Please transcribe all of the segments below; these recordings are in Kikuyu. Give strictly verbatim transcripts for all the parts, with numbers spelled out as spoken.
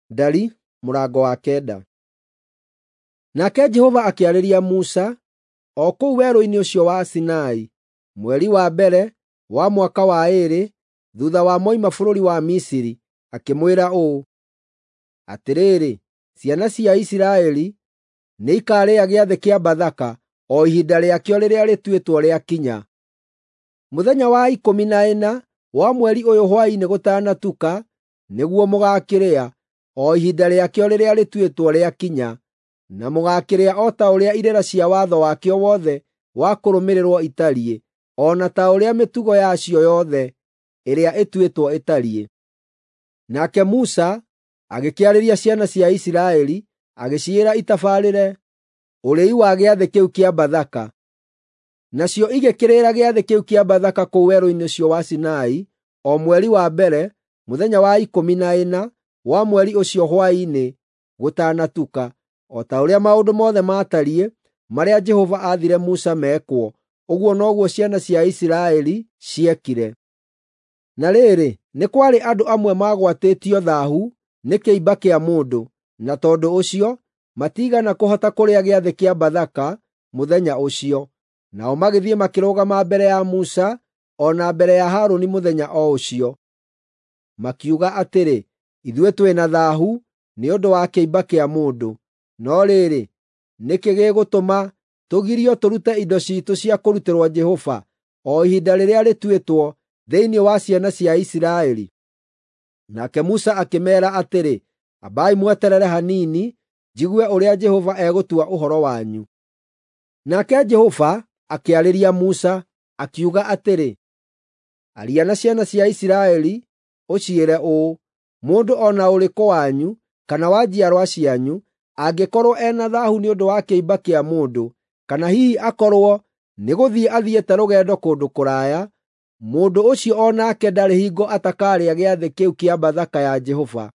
Ndari mũrango wa kenda. Nake Jehova akĩarĩria Musa o kũu werũ-inĩ ũcio wa Sinai, mweri wa mbere wa mwaka wa ĩĩrĩ thutha wa moima bũrũri wa Misiri, akĩmwĩra ũũ: Atĩrĩrĩ, ciana cia Isiraeli nĩikarĩa gĩathĩ kĩa Bathaka o ihinda rĩakĩo rĩrĩa rĩtuĩtwo rĩakinya. Mũthenya wa ikũmi na ĩna wa mweri ũyũ hwaĩ-inĩ gũtanatuka nĩguo mũgaakĩrĩa, o ihinda rĩakĩo rĩrĩa rĩtuĩtwo rĩakinya, na mũgaakĩrĩa o ta ũrĩa irĩra cia watho wakĩo wothe wa kũrũmĩrĩrwo itariĩ, o na ta ũrĩa mĩtugo yacio yothe ĩrĩa ĩtuĩtwo ĩtariĩ. Nake Musa agĩkĩarĩria ciana cia Isiraeli, agĩciĩra itabarĩre ũrĩi wa gĩathĩ kĩu kĩa Bathaka. Nacio igĩkĩrĩra gĩathĩ kĩu kĩa Bathaka kũu werũ-inĩ ũcio wa Sinai o mweri wa mbere, mũthenya wa ikũmi na ĩna wa mweri ũcio hwaĩ-inĩ gũtanatuka, o ta ũrĩa maũndũ mothe maatariĩ marĩa Jehova aathire Musa mekwo, ũguo noguo ciana cia Isiraeli ciekire. Na rĩrĩ, nĩ kwarĩ andũ amwe maagwatĩtio thaahu nĩ kĩimba kĩa mũndũ, na tondũ ũcio matiigana kũhota kũrĩa gĩathĩ kĩa Bathaka mũthenya ũcio. Nao magĩthiĩ makĩrũgama mbere ya Musa o na mbere ya Harũni mũthenya o ũcio. Makiuga atĩrĩ, “Ithuĩ twĩ na thaahu nĩ ũndũ wa kĩimba kĩa mũndũ. No rĩrĩ, nĩkĩ gĩgũtũma tũgirio tũrute indo ciitũ cia kũrutĩrwo Jehova o ihinda rĩrĩa rĩtuĩtwo thĩinĩ wa ciana cia Isiraeli?” Nake Musa akĩmeera atĩrĩ, “Ambai mweterere hanini njigue ũrĩa Jehova egũtua ũhoro wanyu.” Nake Jehova akĩarĩria Musa, akiuga atĩrĩ, “Aria na ciana cia Isiraeli ũciĩre ũũ: Mũndũ o na ũrĩkũ wanyu kana wa njiarwa cianyu angĩkorwo ena thaahu nĩ ũndũ wa kĩimba kĩa mũndũ, kana hihi akorwo nĩgũthiĩ athiĩte rũgendo kũndũ kũraya, mũndũ ũcio o nake ndarĩ hingo atakarĩa gĩathĩ kĩu kĩa Bathaka ya Jehova.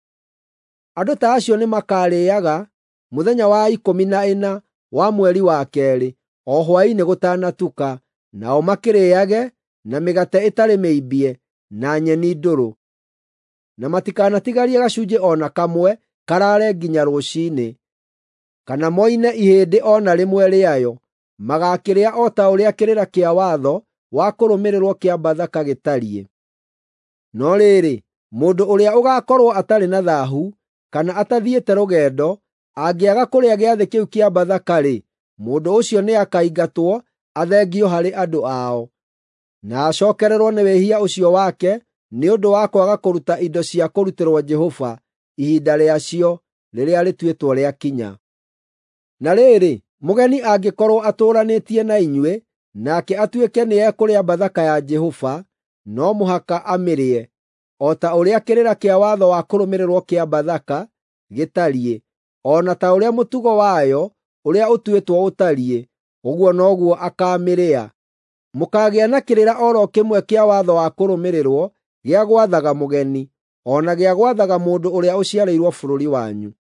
Andũ ta acio nĩmakarĩĩaga mũthenya wa ikũmi na ĩna wa mweri wa keerĩ, o hwaĩ-inĩ gũtanatuka, nao makĩrĩĩage na mĩgate ĩtarĩ mĩimbie na nyeni ndũrũ. Na matikanatigarie gacunjĩ o na kamwe karaare nginya rũciinĩ, kana moine ihĩndĩ o na rĩmwe rĩayo. Magaakĩrĩa o ta ũrĩa kĩrĩra kĩa watho wa kũrũmĩrĩrwo kĩa Bathaka gĩtariĩ. No rĩrĩ, mũndũ ũrĩa ũgaakorwo atarĩ na thaahu kana atathiĩte rũgendo angĩaga kũrĩa gĩathĩ kĩu kĩa Bathaka-rĩ, mũndũ ũcio nĩakaingatwo athengio harĩ andũ ao, na acookererwo nĩ wĩhia ũcio wake nĩ ũndũ wa kwaga kũruta indo cia kũrutĩrwo Jehova ihinda rĩacio rĩrĩa rĩtuĩtwo rĩakinya. Na rĩrĩ, mũgeni angĩkorwo atũũranĩtie na inyuĩ, nake atuĩke nĩekũrĩa Bathaka ya Jehova, no mũhaka amĩrĩe, o ta ũrĩa kĩrĩra kĩa watho wa kũrũmĩrĩrwo kĩa Bathaka gĩtariĩ, o na ta ũrĩa mũtugo wayo ũrĩa ũtuĩtwo ũtariĩ, ũguo noguo akaamĩrĩa. Mũkaagĩa na kĩrĩra o ro kĩmwe kĩa watho wa kũrũmĩrĩrwo gĩa gwathaga mũgeni, o na gĩa gwathaga mũndũ ũrĩa ũciarĩirwo bũrũri wanyu.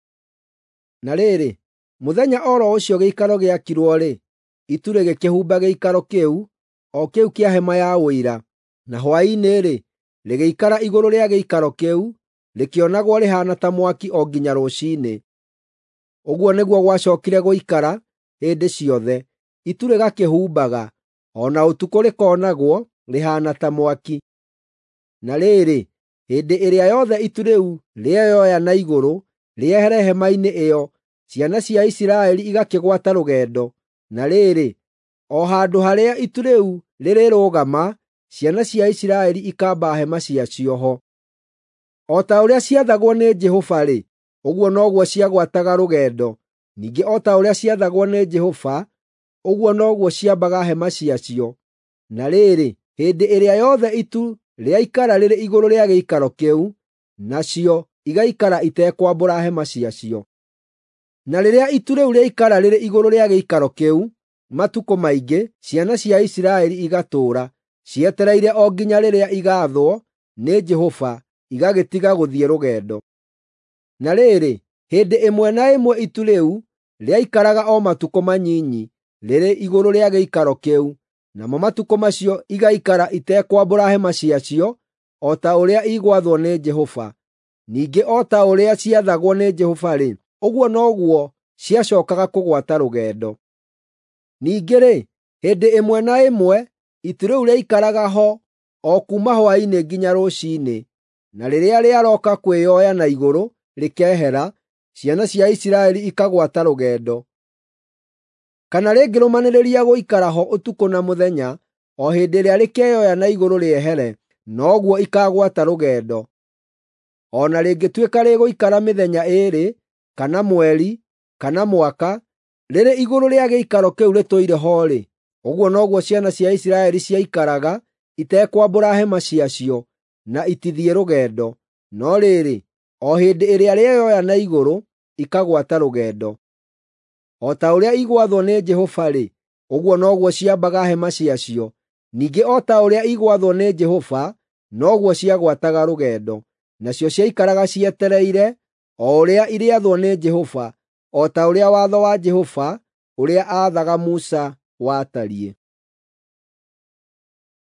Na rĩrĩ, mũthenya o ro ũcio gĩikaro gĩakirwo-rĩ, itu rĩgĩkĩhumba gĩikaro kĩu, o kĩu kĩa hema ya Ũira, na hwaĩ-inĩ-rĩ, rĩgĩikara igũrũ rĩa gĩikaro kĩu, rĩkĩonagwo rĩhaana ta mwaki o nginya rũciinĩ. Ũguo nĩguo gwacookire gũikara hĩndĩ ciothe, itu rĩgakĩhumbaga, o na ũtukũ rĩkoonagwo rĩhaana ta mwaki. Na rĩrĩ, hĩndĩ ĩrĩa yothe itu rĩu rĩeyoya na igũrũ rĩehere hema-inĩ ĩyo, ciana cia Isiraeli igakĩgwata rũgendo. Na rĩrĩ, o handũ harĩa itu rĩu rĩrĩrũgama, ciana cia Isiraeli ikamba hema ciacio ho. O ta ũrĩa ciathagwo nĩ Jehova-rĩ, ũguo noguo ciagwataga rũgendo; ningĩ o ta ũrĩa ciathagwo nĩ Jehova, ũguo noguo ciambaga hema ciacio. Na rĩrĩ, hĩndĩ ĩrĩa yothe itu rĩaikara rĩrĩ igũrũ rĩa gĩikaro kĩu, nacio igaikara itekwambũra hema ciacio. Na rĩrĩa itu rĩu rĩaikara rĩrĩ igũrũ rĩa gĩikaro kĩu matukũ maingĩ, ciana cia Isiraeli igatũũra cietereire o nginya rĩrĩa igaathwo nĩ Jehova, igagĩtiga gũthiĩ rũgendo. Na rĩrĩ, hĩndĩ ĩmwe na ĩmwe itu rĩu rĩaikaraga o matukũ manyinyi rĩrĩ igũrũ rĩa gĩikaro kĩu, namo matukũ macio igaikara itekwambũra hema ciacio o ta ũrĩa igwathwo nĩ Jehova. Ningĩ o ta ũrĩa ciathagwo nĩ Jehova-rĩ, ũguo noguo ciacookaga kũgwata rũgendo. Ningĩ-rĩ, hĩndĩ ĩmwe na ĩmwe itu rĩu rĩaikaraga ho o kuuma hwaĩ-inĩ nginya rũciinĩ, na rĩrĩa rĩarooka kwĩoya na igũrũ rĩkehera, ciana cia Isiraeli ikagwata rũgendo. Kana rĩngĩrũmanĩrĩria gũikara ho ũtukũ na mũthenya, o hĩndĩ ĩrĩa rĩkeyoya na igũrũ rĩehere, noguo ikagwata rũgendo. O na rĩngĩtuĩka rĩgũikara mĩthenya ĩĩrĩ, kana mweri, kana mwaka, rĩrĩ igũrũ rĩa gĩikaro kĩu rĩtũire ho-rĩ, ũguo noguo ciana cia Isiraeli ciaikaraga itekwambũra hema ciacio, na itithiĩ rũgendo. No rĩrĩ, o hĩndĩ ĩrĩa rĩeyoya na igũrũ, ikagwata rũgendo. O ta ũrĩa igwathwo nĩ Jehova-rĩ, ũguo noguo ciambaga hema ciacio. Ningĩ o ta ũrĩa igwathwo nĩ Jehova, noguo ciagwataga rũgendo. Nacio ciaikaraga cietereire o ũrĩa irĩathwo nĩ Jehova, o ta ũrĩa watho wa Jehova ũrĩa aathaga Musa watariĩ.